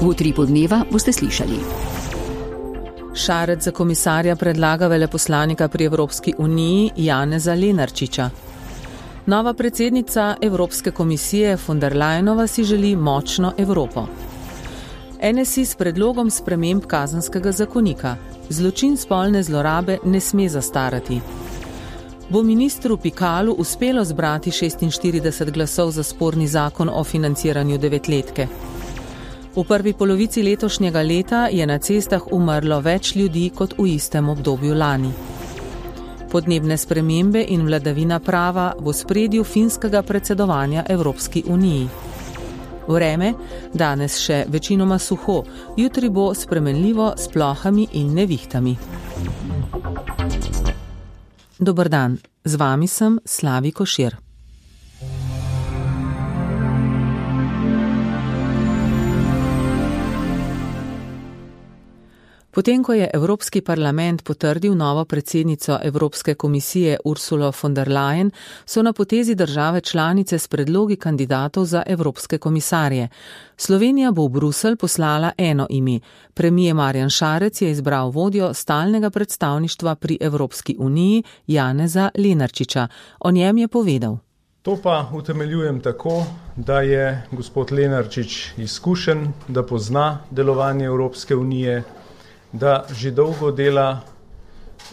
V Utripu dneva boste slišali. Šarec za komisarja predlaga veleposlanika pri Evropski uniji Janeza Lenarčiča. Nova predsednica Evropske komisije von der Leyenova si želi močno Evropo. NSI s predlogom sprememb kazenskega zakonika. Zločin spolne zlorabe ne sme zastarati. Bo ministru Pikalu uspelo zbrati 46 glasov za sporni zakon o financiranju devetletke. V prvi polovici letošnjega leta je na cestah umrlo več ljudi kot v istem obdobju lani. Podnebne spremembe in vladavina prava v ospredju finskega predsedovanja Evropski uniji. Vreme, danes še večinoma suho, jutri bo spremenljivo s plohami in nevihtami. Dober dan, z vami sem Slavi Košir. Potem, ko je Evropski parlament potrdil novo predsednico Evropske komisije Ursulo von der Leyen, so na potezi države članice s predlogi kandidatov za evropske komisarje. Slovenija bo v Bruselj poslala eno ime. Premier Marjan Šarec je izbral vodjo stalnega predstavništva pri Evropski uniji Janeza Lenarčiča. O njem je povedal. To pa utemeljujem tako, da je gospod Lenarčič izkušen, da pozna delovanje Evropske unije, da že dolgo dela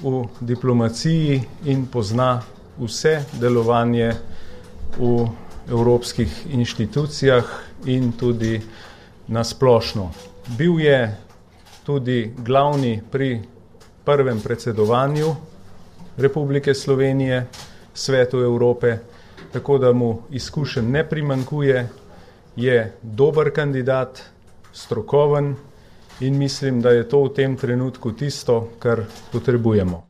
v diplomaciji in pozna vse delovanje v evropskih inštitucijah in tudi nasplošno. Bil je tudi glavni pri prvem predsedovanju Republike Slovenije Svetu Evrope, tako da mu izkušenj ne primanjkuje, je dober kandidat, strokoven, in mislim, da je to v tem trenutku tisto, kar potrebujemo.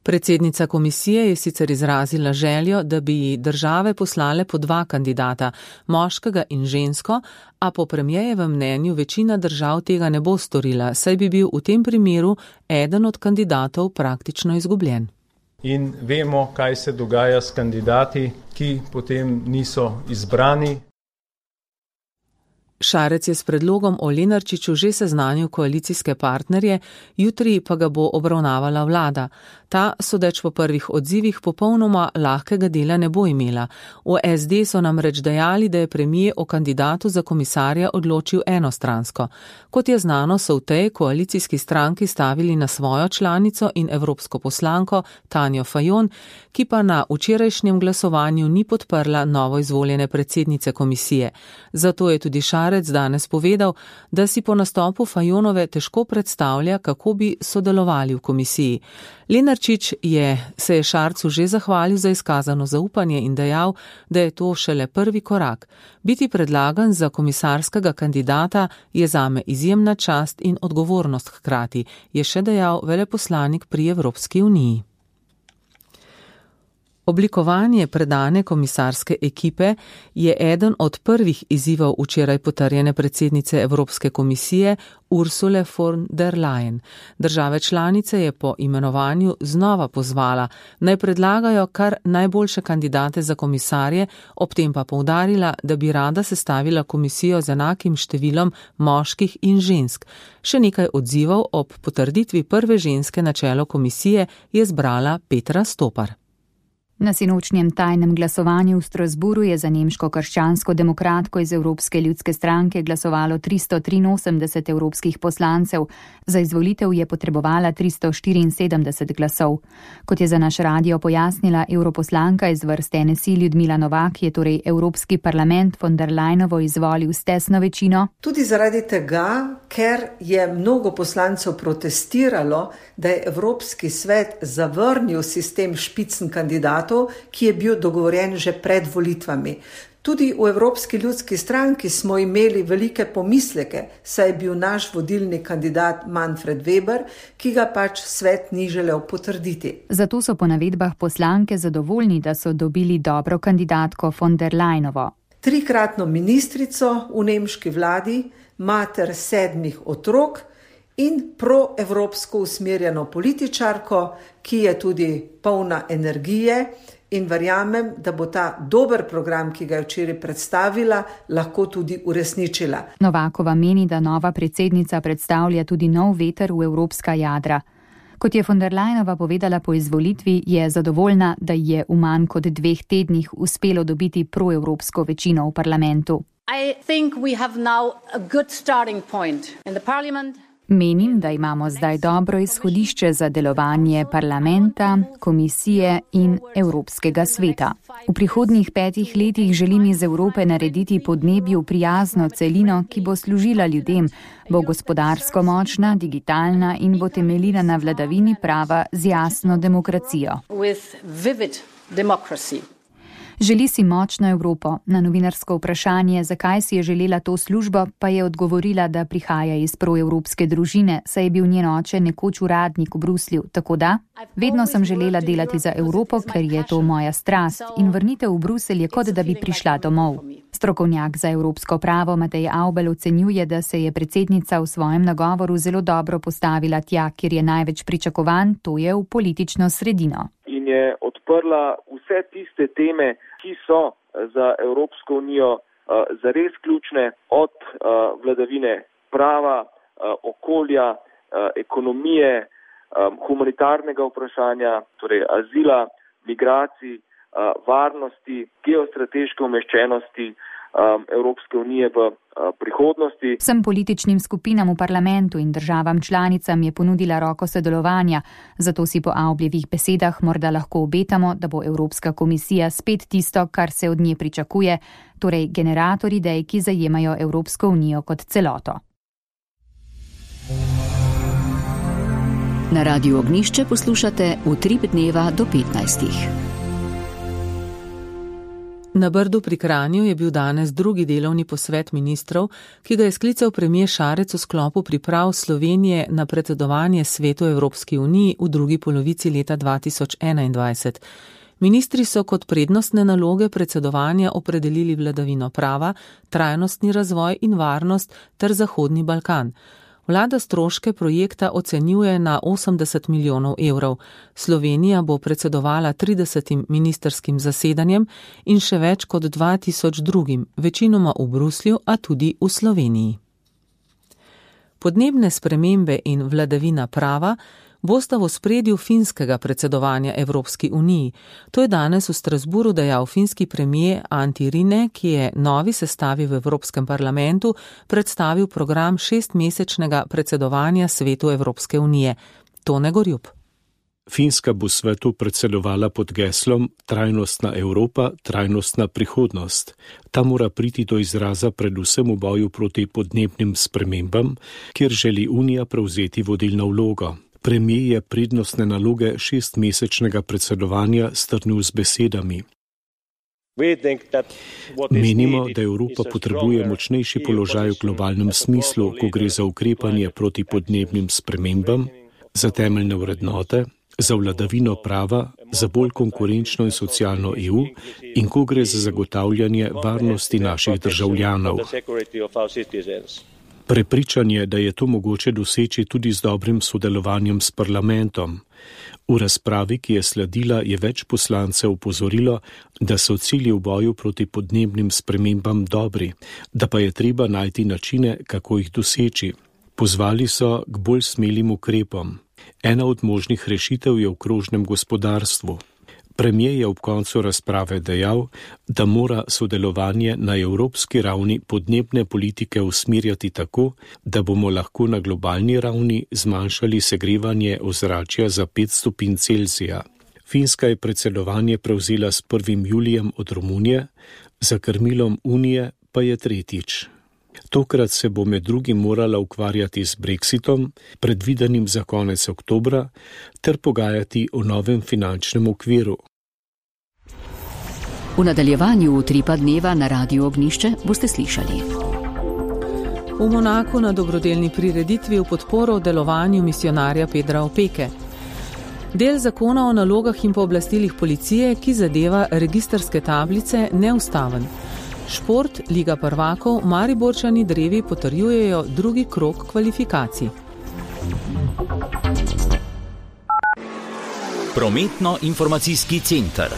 Predsednica komisije je sicer izrazila željo, da bi države poslale po 2 kandidata, moškega in žensko, a po premierjevem mnenju večina držav tega ne bo storila, saj bi bil v tem primeru eden od kandidatov praktično izgubljen. In vemo, kaj se dogaja s kandidati, ki potem niso izbrani. Šarec je s predlogom o Lenarčiču že seznanil koalicijske partnerje, jutri pa ga bo obravnavala vlada. Ta, sodeč po prvih odzivih, popolnoma lahkega dela ne bo imela. V SD so namreč dejali, da je premier o kandidatu za komisarja odločil enostransko. Kot je znano, so v tej koalicijski stranki stavili na svojo članico in evropsko poslanko Tanjo Fajon, ki pa na včerajšnjem glasovanju ni podprla novo izvoljene predsednice komisije. Zato je tudi Šarec danes povedal, da si po nastopu Fajonove težko predstavlja, kako bi sodelovali v komisiji. Lenarčič se je Šarcu že zahvalil za izkazano zaupanje in dejal, da je to šele prvi korak. Biti predlagan za komisarskega kandidata je zame izjemna čast in odgovornost hkrati, je še dejal veleposlanik pri Evropski uniji. Oblikovanje predane komisarske ekipe je eden od prvih izzivov včeraj potrjene predsednice Evropske komisije Ursule von der Leyen. Države članice je po imenovanju znova pozvala, naj predlagajo kar najboljše kandidate za komisarje, ob tem pa poudarila, da bi rada sestavila komisijo z enakim številom moških in žensk. Še nekaj odzivov ob potrditvi prve ženske na čelo komisije je zbrala Petra Stopar. Na sinočnjem tajnem glasovanju v Strasburu je za nemško krščansko demokratko iz Evropske ljudske stranke glasovalo 383 evropskih poslancev. Za izvolitev je potrebovala 374 glasov. Kot je za naš radio pojasnila europoslanka iz vrst NSI Ljudmila Novak, je torej Evropski parlament von der Leyenovo izvolil s tesno večino. Tudi zaradi tega, ker je mnogo poslancev protestiralo, da je Evropski svet zavrnil sistem špicen kandidatov, ki je bil dogovorjen že pred volitvami. Tudi v Evropski ljudski stranki smo imeli velike pomisleke, saj je bil naš vodilni kandidat Manfred Weber, ki ga pač svet ni želel potrditi. Zato so po navedbah poslanke zadovoljni, da so dobili dobro kandidatko von der Leyenovo. 3-kratno ministrico v nemški vladi, mater 7 otrok in proevropsko usmerjeno političarko, ki je tudi polna energije in verjamem, da bo ta dober program, ki ga je včeraj predstavila, lahko tudi uresničila. Novakova meni, da nova predsednica predstavlja tudi nov veter v evropska jadra. Kot je von der Leyenova povedala po izvolitvi, je zadovoljna, da je v manj kot 2 tednih uspelo dobiti proevropsko večino v parlamentu. Menim, da imamo zdaj dobro izhodišče za delovanje parlamenta, komisije in Evropskega sveta. V prihodnjih 5 letih želim iz Evrope narediti podnebju prijazno celino, ki bo služila ljudem, bo gospodarsko močna, digitalna in bo temeljila na vladavini prava z jasno demokracijo. Želi si močno Evropo. Na novinarsko vprašanje, zakaj si je želela to službo, pa je odgovorila, da prihaja iz proevropske družine, saj je bil njen oče nekoč uradnik v Bruslju. Tako da, vedno sem želela delati za Evropo, ker je to moja strast in vrnitev v Bruselj je kot da bi prišla domov. Strokovnjak za evropsko pravo Matej Avbelj ocenjuje, da se je predsednica v svojem nagovoru zelo dobro postavila tja, kjer je največ pričakovan, to je v politično sredino. In je odprla vse tiste teme, ki so za Evropsko unijo zares ključne, od vladavine prava, okolja, ekonomije, humanitarnega vprašanja, torej azila, migracij, varnosti, geostrateške umeščenosti Evropske unije v prihodnosti. Vsem političnim skupinam v parlamentu in državam članicam je ponudila roko sodelovanja, zato si po Avbljevih besedah morda lahko obetamo, da bo Evropska komisija spet tisto, kar se od nje pričakuje, torej generator idej, ki zajemajo Evropsko unijo kot celoto. Na Radiu Ognišče poslušate Utrip dneva do 15. Na Brdu pri Kranju je bil danes drugi delovni posvet ministrov, ki ga je sklical premier Šarec v sklopu priprav Slovenije na predsedovanje Svetu Evropski uniji v drugi polovici leta 2021. Ministri so kot prednostne naloge predsedovanja opredelili vladavino prava, trajnostni razvoj in varnost ter Zahodni Balkan. Vlada stroške projekta ocenjuje na 80 milijonov evrov. Slovenija bo predsedovala 30 ministerskim zasedanjem in še več kot 2000 drugim, večinoma v Bruslju, a tudi v Sloveniji. Podnebne spremembe in vladavina prava bosta v ospredju finskega predsedovanja Evropski uniji. To je danes v Strasburu dejal finski premier Antti Rinne, ki je novi sestavi v Evropskem parlamentu predstavil program 6-mesečnega predsedovanja Svetu Evropske unije. Tone Gorjup. Finska bo svetu predsedovala pod geslom Trajnostna Evropa, trajnostna prihodnost. Ta mora priti do izraza predvsem v boju proti podnebnim spremembam, kjer želi Unija prevzeti vodilno vlogo. Premier je prednostne naloge 6-mesečnega predsedovanja strnil z besedami. Menimo, da Evropa potrebuje močnejši položaj v globalnem smislu, ko gre za ukrepanje proti podnebnim spremembam, za temeljne vrednote, za vladavino prava, za bolj konkurenčno in socialno EU in ko gre za zagotavljanje varnosti naših državljanov. Prepričan je, da je to mogoče doseči tudi z dobrim sodelovanjem s parlamentom. V razpravi, ki je sledila, je več poslancev opozorilo, da so cilji v boju proti podnebnim spremembam dobri, da pa je treba najti načine, kako jih doseči. Pozvali so k bolj smelim ukrepom. Ena od možnih rešitev je v krožnem gospodarstvu. Premier je ob koncu razprave dejal, da mora sodelovanje na evropski ravni podnebne politike usmerjati tako, da bomo lahko na globalni ravni zmanjšali segrevanje ozračja za 5 stopinj Celzija. Finska je predsedovanje prevzela s 1. julijem od Romunije, za krmilom Unije pa je tretjič. Tokrat se bo med drugim morala ukvarjati z Brexitom, predvidenim za konec oktobra, ter pogajati o novem finančnem okviru. V nadaljevanju Utripa dneva na Radiu Ognišče boste slišali. V Monaku na dobrodelni prireditvi v podporo delovanju misijonarja Pedra Opeke. Del zakona o nalogah in pooblastilih policije, ki zadeva registrske tablice, neustaven. Šport, Liga prvakov, Mariborčani drevi potrjujejo drugi krog kvalifikacij. Prometno-informacijski center.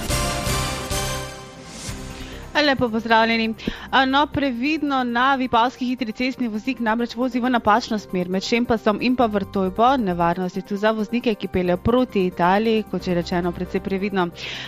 Lepo pozdravljeni. No, previdno na Vipavski hitri cestni voznik namreč vozi v napačno smer med Šempasom in pa Vrtojbo. Nevarnost je tu za voznike, ki peljejo proti Italiji, kot je rečeno, precej previdno.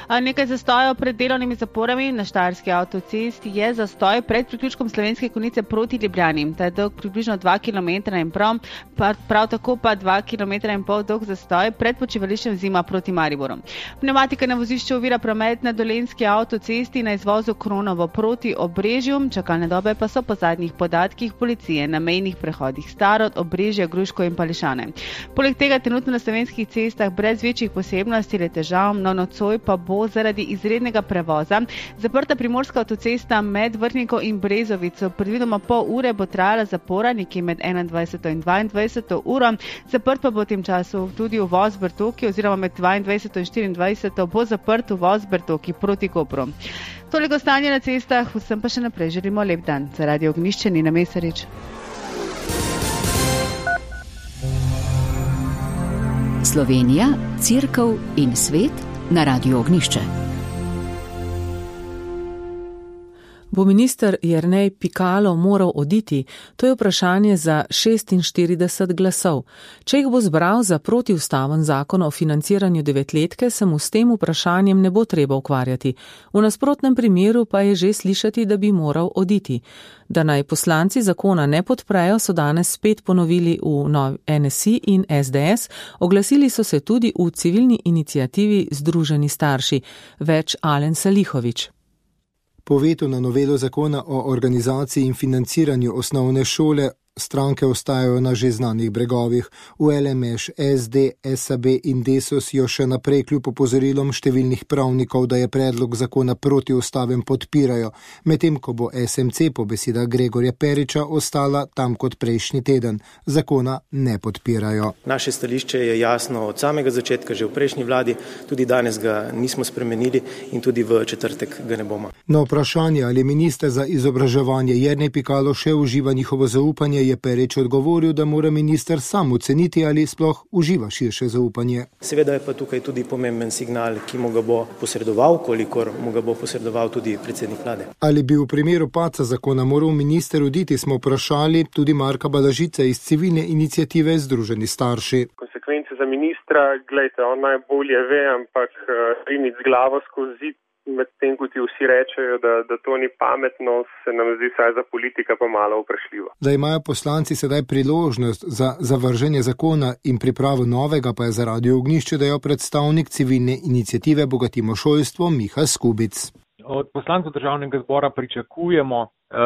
Nekaj zastojev pred delovnimi zaporami na Štajerski avtocesti je zastoj pred priključkom Slovenske Konjice proti Ljubljani. Ta je dolg približno 2 km in prav tako pa 2,5 km dolg zastoj pred počivališčem Zima proti Mariboru. Pneumatika na vozišču ovira promet na Dolenjski avtocesti na izvozu Kronovo proti Obrežju. Čakalne dobe pa so po zadnjih podatkih policije na mejnih prehodih Starod, Obrežje, Gruško in Pališane. Poleg tega trenutno na slovenskih cestah brez večjih posebnosti ali težav, no nocoj pa bo zaradi izrednega prevoza zaprta primorska avtocesta med Vrhniko in Brezovico. Predvidoma pol ure bo trajala zapora, nekje med 21. in 22. uro. Zaprt pa bo v tem času tudi uvoz Bertoki oziroma med 22. in 24. bo zaprt uvoz Bertoki proti Kopru. Toliko stanje na cestah, vsem pa še naprej želimo lep dan. Za Radio Ognjišče Nina Mesarič. Slovenija, Cerkev in svet na Radio Ognjišče. Bo minister Jernej Pikalo moral oditi? To je vprašanje za 46 glasov. Če jih bo zbral za protiustaven zakon o financiranju devetletke, se mu s tem vprašanjem ne bo treba ukvarjati. V nasprotnem primeru pa je že slišati, da bi moral oditi. Da naj poslanci zakona ne podprejo, so danes spet ponovili v NSI in SDS. Oglasili so se tudi v civilni iniciativi Združeni starši. Več Alen Salihović. Po vetu na novelo zakona o organizaciji in financiranju osnovne šole stranke ostajajo na že znanih bregovih. V LMŠ, SD, SAB in Desus jo še naprej kljub opozorilom številnih pravnikov, da je predlog zakona protiustaven, podpirajo, medtem ko bo SMC po besedah Gregorja Periča ostala tam kot prejšnji teden. Zakona ne podpirajo. Naše stališče je jasno od samega začetka, že v prejšnji vladi, tudi danes ga nismo spremenili in tudi v četrtek ga ne bomo. Na vprašanje, ali minister za izobraževanje Jernej Pikalo še uživa njihovo zaupanje, je Perič odgovoril, da mora minister sam oceniti, ali sploh uživa širše zaupanje. Seveda je pa tukaj tudi pomemben signal, ki mu ga bo posredoval, kolikor mu ga bo posredoval tudi predsednik vlade. Ali bi v primeru padca zakona moral minister oditi, smo vprašali tudi Marka Balažice iz civilne iniciative Združeni starši. Konsekvence za ministra, glejte, on najbolje ve, ampak riniti z glavo skozi zid, medtem ko ti vsi rečejo, da to ni pametno, se nam zdi saj za politika pa malo vprašljivo. Da imajo poslanci sedaj priložnost za zavrženje zakona in pripravo novega, pa je za Radio Ognjišče dejal predstavnik civilne iniciative Bogatimo šolstvo Miha Skubic. Od poslancev državnega zbora pričakujemo,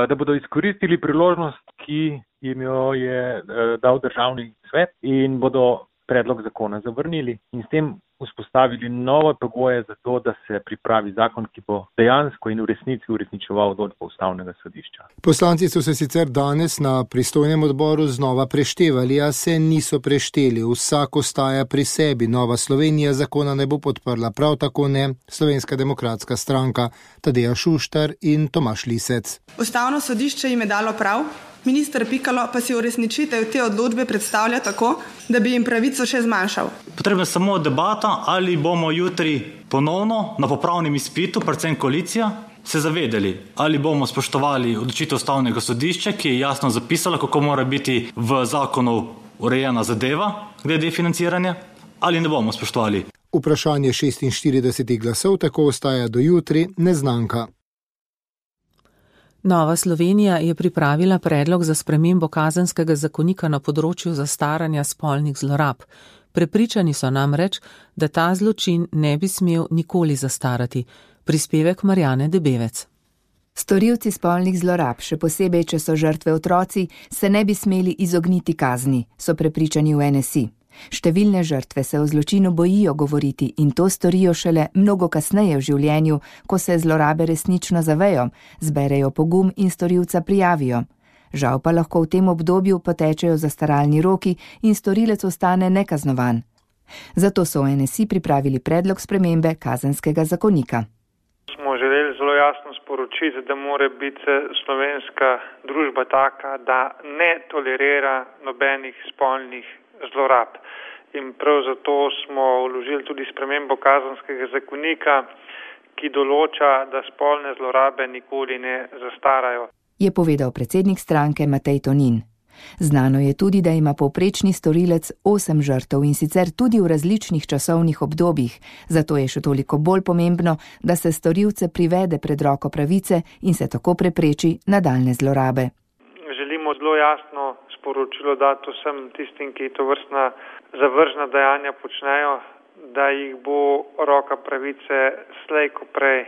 da bodo izkoristili priložnost, ki jim jo je dal državni svet in bodo predlog zakona zavrnili in s tem vzpostavili nove pogoje za to, da se pripravi zakon, ki bo dejansko in v resnici uresničeval odločbo Ustavnega sodišča. Poslanci so se sicer danes na pristojnem odboru znova preštevali, a se niso prešteli. Vsak ostaja pri sebi. Nova Slovenija zakona ne bo podprla, prav tako ne Slovenska demokratska stranka, Tadeja Šuštar in Tomaž Lisec. Ustavno sodišče jim je dalo prav. Minister Pikalo pa si uresničitev te odločbe predstavlja tako, da bi jim pravico še zmanjšal. Potrebna je samo debata, ali bomo jutri ponovno na popravnem izpitu, predvsem koalicija, se zavedali, ali bomo spoštovali odločitev Ustavnega sodišča, ki je jasno zapisala, kako mora biti v zakonu urejena zadeva glede financiranja, ali ne bomo spoštovali. Vprašanje 46 glasov tako ostaja do jutri neznanka. Nova Slovenija je pripravila predlog za spremembo kazenskega zakonika na področju zastaranja spolnih zlorab. Prepričani so namreč, da ta zločin ne bi smel nikoli zastarati. Prispevek Marjane Debevec. Storilci spolnih zlorab, še posebej, če so žrtve otroci, se ne bi smeli izogniti kazni, so prepričani v NSI. Številne žrtve se o zločinu bojijo govoriti in to storijo šele mnogo kasneje v življenju, ko se zlorabe resnično zavejo, zberejo pogum in storilca prijavijo. Žal pa lahko v tem obdobju potečejo zastaralni roki in storilec ostane nekaznovan. Zato so v NSI pripravili predlog spremembe kazenskega zakonika. Smo želeli zelo jasno sporočiti, da mora biti slovenska družba taka, da ne tolerira nobenih spolnih zlorab. In prav zato smo vložili tudi spremembo kazenskega zakonika, ki določa, da spolne zlorabe nikoli ne zastarajo. Je povedal predsednik stranke Matej Tonin. Znano je tudi, da ima povprečni storilec 8 žrtev in sicer tudi v različnih časovnih obdobjih, zato je še toliko bolj pomembno, da se storilce privede pred roko pravice in se tako prepreči nadaljne zlorabe. Želimo zelo jasno sporočilo dati vsem tistim, ki to vrstna zavržna dejanja počnejo, da jih bo roka pravice slej ko prej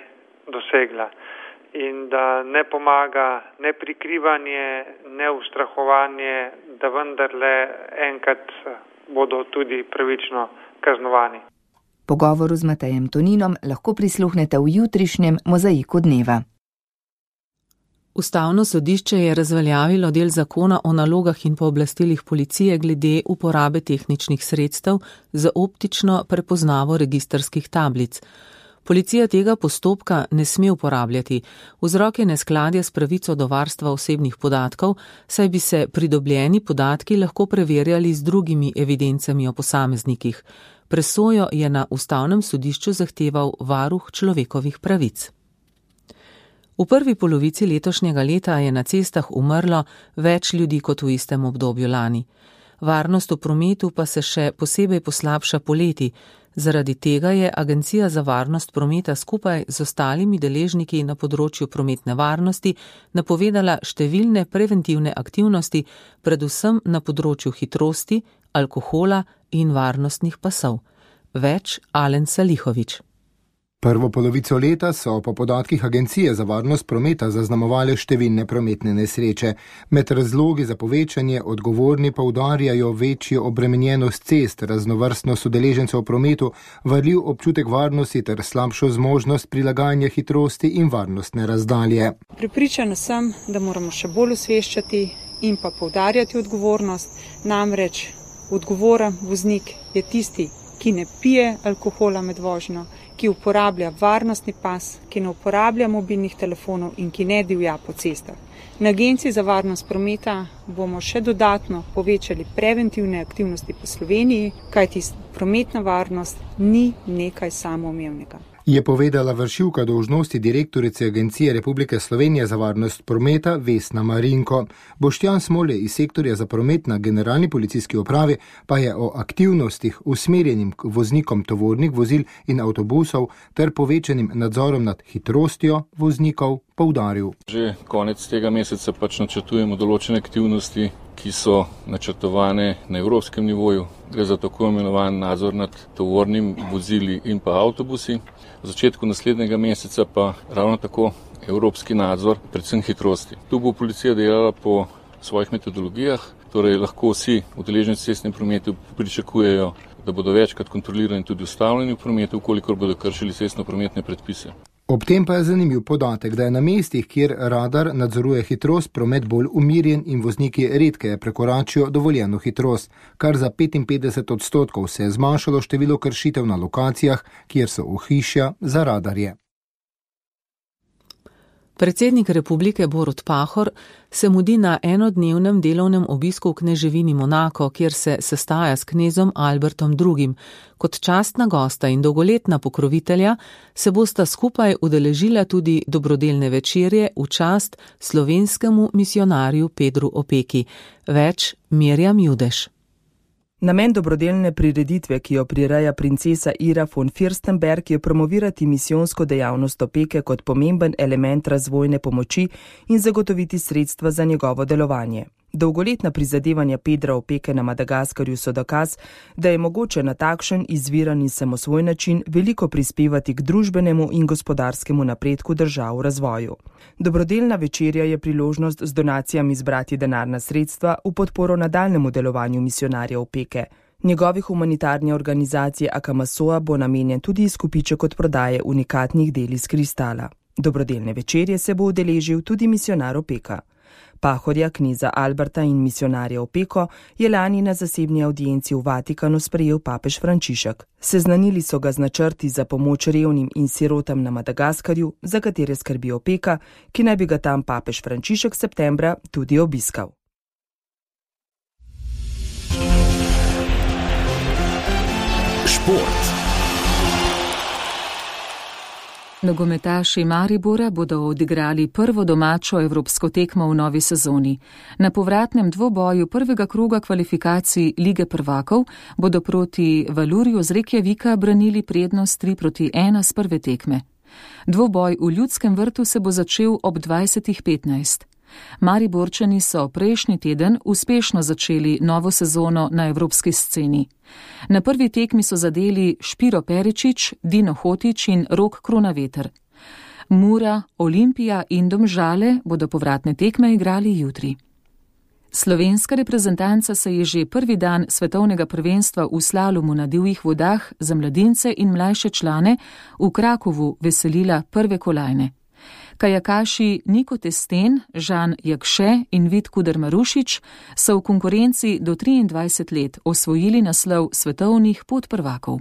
dosegla. In da ne pomaga ne prikrivanje, ne ustrahovanje, da vendarle enkrat bodo tudi pravično kaznovani. Pogovoru z Matejem Toninom lahko prisluhnete v jutrišnjem Mozaiku dneva. Ustavno sodišče je razveljavilo del zakona o nalogah in pooblastilih policije glede uporabe tehničnih sredstev za optično prepoznavo registrskih tablic. Policija tega postopka ne sme uporabljati. Vzrok je neskladje s pravico do varstva osebnih podatkov, saj bi se pridobljeni podatki lahko preverjali z drugimi evidencami o posameznikih. Presojo je na Ustavnem sodišču zahteval varuh človekovih pravic. V prvi polovici letošnjega leta je na cestah umrlo več ljudi kot v istem obdobju lani. Varnost v prometu pa se še posebej poslabša poleti. Zaradi tega je Agencija za varnost prometa skupaj z ostalimi deležniki na področju prometne varnosti napovedala številne preventivne aktivnosti, predvsem na področju hitrosti, alkohola in varnostnih pasov. Več Alen Salihović. Prvo polovico leta so po podatkih Agencije za varnost prometa zaznamovale številne prometne nesreče. Med razlogi za povečanje odgovorni poudarjajo večjo obremenjenost cest, raznovrstnost udeležencev v prometu, varljiv občutek varnosti ter slabšo zmožnost prilagajanja hitrosti in varnostne razdalje. Prepričana sem, da moramo še bolj osveščati in pa poudarjati odgovornost, namreč odgovoren voznik je tisti, ki ne pije alkohola med vožnjo, ki uporablja varnostni pas, ki ne uporablja mobilnih telefonov in ki ne divja po cestah. Na Agenciji za varnost prometa bomo še dodatno povečali preventivne aktivnosti po Sloveniji, kajti prometna varnost ni nekaj samoumevnega. Je povedala vršilka dolžnosti direktorice Agencije Republike Slovenije za varnost prometa Vesna Marinko. Boštjan Smole iz sektorja za promet na Generalni policijski upravi pa je o aktivnostih usmerjenim k voznikom tovornih vozil in avtobusov ter povečanim nadzorom nad hitrostjo voznikov poudaril. Že konec tega meseca načrtujemo določene aktivnosti, ki so načrtovane na evropskem nivoju. Gre za tako imenovan nadzor nad tovornim vozili in pa avtobusi. V začetku naslednjega meseca pa ravno tako evropski nadzor, predvsem hitrosti. Tu bo policija delala po svojih metodologijah, torej lahko vsi udeleženci v cestnem prometu pričakujejo, da bodo večkrat kontrolirani tudi ustavljeni v prometu, ukolikor bodo kršili cestno-prometne predpise. Ob tem pa je zanimiv podatek, da je na mestih, kjer radar nadzoruje hitrost, promet bolj umirjen in vozniki redkeje prekoračijo dovoljeno hitrost, kar za 55% se je zmanjšalo število kršitev na lokacijah, kjer so ohišja za radarje. Predsednik republike Borut Pahor se mudi na enodnevnem delovnem obisku v kneževini Monako, kjer se sestaja s knezom Albertom II. Kot častna gosta in dolgoletna pokrovitelja se bosta skupaj udeležila tudi dobrodelne večerje v čast slovenskemu misionarju Pedru Opeki. Več Mirjam Judeš. Namen dobrodelne prireditve, ki jo prireja princesa Ira von Fürstenberg, je promovirati misijonsko dejavnost Opeke kot pomemben element razvojne pomoči in zagotoviti sredstva za njegovo delovanje. Dolgoletna prizadevanja Pedra Opeke na Madagaskarju so dokaz, da je mogoče na takšen izviran in samosvoj način veliko prispevati k družbenemu in gospodarskemu napredku držav v razvoju. Dobrodelna večerja je priložnost z donacijami zbrati denarna sredstva v podporo nadaljnemu delovanju misionarja Opeke. Njegovi humanitarni organizaciji Akamasoa bo namenjen tudi izkupiček od prodaje unikatnih del iz kristala. Dobrodelne večerje se bo udeležil tudi misionar Opeka. Pahorja, kneza Alberta in misionarja Opeko je lani na zasebni audienci v Vatikanu sprejel papež Frančišek. Seznanili so ga z načrti za pomoč revnim in sirotam na Madagaskarju, za katere skrbi Opeka, ki naj bi ga tam papež Frančišek septembra tudi obiskal. Šport. Nogometaši Maribora bodo odigrali prvo domačo evropsko tekmo v novi sezoni. Na povratnem dvoboju prvega kroga kvalifikacij Lige prvakov bodo proti Valurju z Reykjavika branili prednost 3-1 s prve tekme. Dvoboj v Ljudskem vrtu se bo začel ob 20:15. Mariborčani so prejšnji teden uspešno začeli novo sezono na evropski sceni. Na prvi tekmi so zadeli Špiro Peričič, Dino Hotić in Rok Kronaveter. Mura, Olimpija in Domžale bodo povratne tekme igrali jutri. Slovenska reprezentanca se je že prvi dan svetovnega prvenstva v slalomu na divjih vodah za mladince in mlajše člane v Krakovu veselila prve kolajne. Kajakaši Niko Testen, Žan Jakše in Vid Kuder-Marušič so v konkurenci do 23 let osvojili naslov svetovnih podprvakov.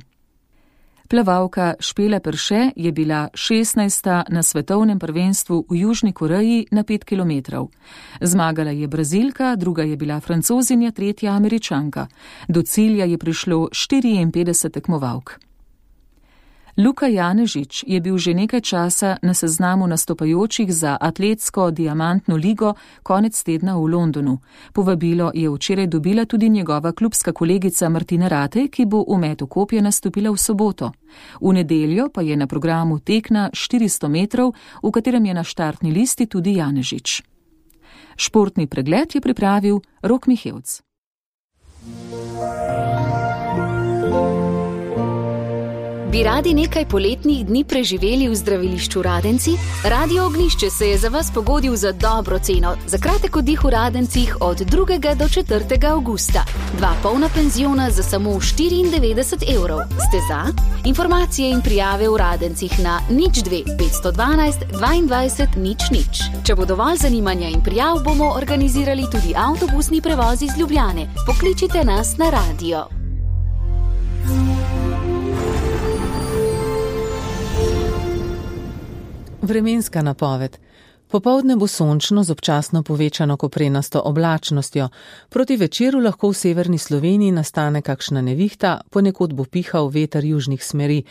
Plavalka Špela Perše je bila 16. na svetovnem prvenstvu v Južni Koreji na 5 km. Zmagala je Brazilka, druga je bila Francozinja, tretja Američanka. Do cilja je prišlo 54 tekmovalk. Luka Janežič je bil že nekaj časa na seznamu nastopajočih za atletsko diamantno ligo konec tedna v Londonu. Povabilo je včeraj dobila tudi njegova klubska kolegica Martina Ratej, ki bo v metu kopja nastopila v soboto. V nedeljo pa je na programu tek na 400 metrov, v katerem je na štartni listi tudi Janežič. Športni pregled je pripravil Rok Mihevc. Bi radi nekaj poletnih dni preživeli v zdravilišču Radenci? Radio Ognjišče se je za vas pogodil za dobro ceno. Za kratek oddih v Radencih od 2. do 4. avgusta. 2 polna penziona za samo 94 €. Ste za? Informacije in prijave v Radencih na 02 512 22 00. Če bo dovolj zanimanja in prijav, bomo organizirali tudi avtobusni prevoz iz Ljubljane. Pokličite nas na radio. Vremenska napoved. Popoldne bo sončno z občasno povečano koprenasto oblačnostjo. Proti večeru lahko v severni Sloveniji nastane kakšna nevihta, ponekod bo pihal veter južnih smeri.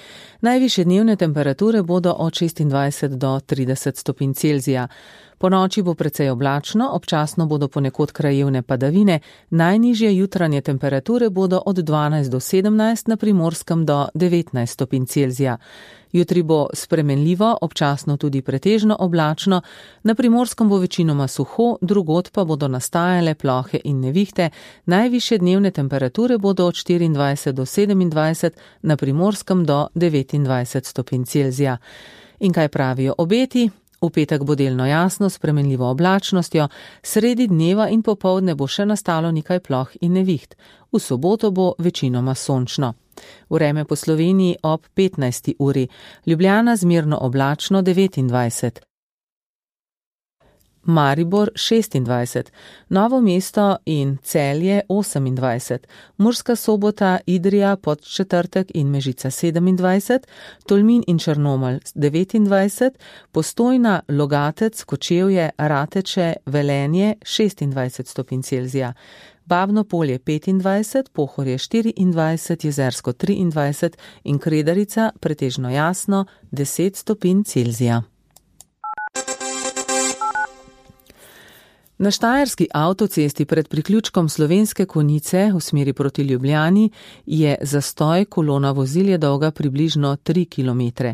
Najvišje dnevne temperature bodo od 26 do 30 stopinj Celzija. Po noči bo precej oblačno, občasno bodo ponekod krajevne padavine, najnižje jutranje temperature bodo od 12 do 17, na Primorskem do 19 stopinj Celzija. Jutri bo spremenljivo, občasno tudi pretežno oblačno, na Primorskem bo večinoma suho, drugod pa bodo nastajale plohe in nevihte, najvišje dnevne temperature bodo od 24 do 27, na Primorskem do 29 stopinj Celzija. In kaj pravijo obeti? V petek bo delno jasno, spremenljivo oblačnostjo, sredi dneva in popoldne bo še nastalo nekaj ploh in neviht. V soboto bo večinoma sončno. Vreme po Sloveniji ob 15. uri. Ljubljana zmerno oblačno 29. Maribor 26, Novo mesto in Celje 28, Murska Sobota, Idrija, Podčetrtek in Mežica 27, Tolmin in Črnomelj 29, Postojna, Logatec, Kočevje, Rateče, Velenje 26 stopinj Celzija, Babno Polje 25, Pohorje 24, Jezersko 23 in Kredarica pretežno jasno 10 stopinj Celzija. Na štajerski avtocesti pred priključkom Slovenske Konjice v smeri proti Ljubljani je zastoj, kolona vozil je dolga približno 3 km.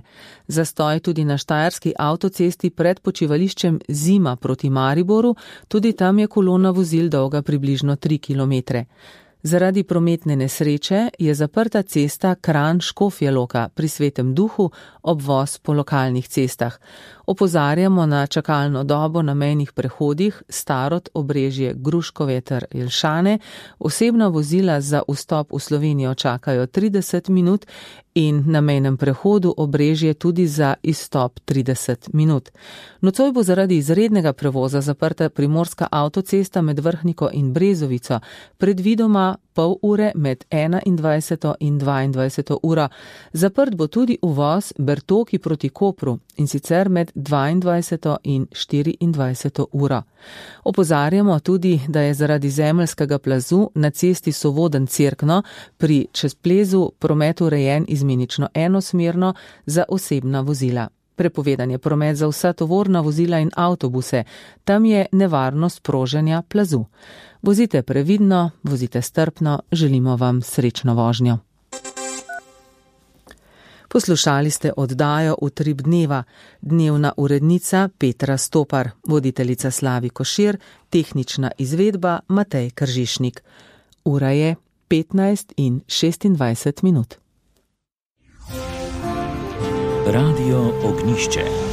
Zastoj tudi na štajerski avtocesti pred počivališčem Zima proti Mariboru, tudi tam je kolona vozil dolga približno 3 km. Zaradi prometne nesreče je zaprta cesta Kranj-Škofja Loka pri Svetem Duhu, obvoz po lokalnih cestah. Opozarjamo na čakalno dobo na mejnih prehodih Starod, Obrežje, Gruškovje ter Jelšane. Osebna vozila za vstop v Slovenijo čakajo 30 minut in na mejnem prehodu Obrežje tudi za izstop 30 minut. Nocoj bo zaradi izrednega prevoza zaprta primorska avtocesta med Vrhniko in Brezovico, predvidoma pol ure med 21. in 22. uro. Zaprt bo tudi uvoz Bertoki proti Kopru in sicer med 22. in 24. uro. Opozarjamo tudi, da je zaradi zemeljskega plazu na cesti Sovoden-Cerkno pri Čezplezu promet urejen izmenično enosmerno za osebna vozila. Prepovedan je promet za vsa tovorna vozila in avtobuse. Tam je nevarnost proženja plazu. Vozite previdno, vozite strpno, želimo vam srečno vožnjo. Poslušali ste oddajo Utrip dneva, dnevna urednica Petra Stopar, voditeljica Slavi Košir, tehnična izvedba Matej Kržišnik. Ura je 15:26. Radio Ognišče.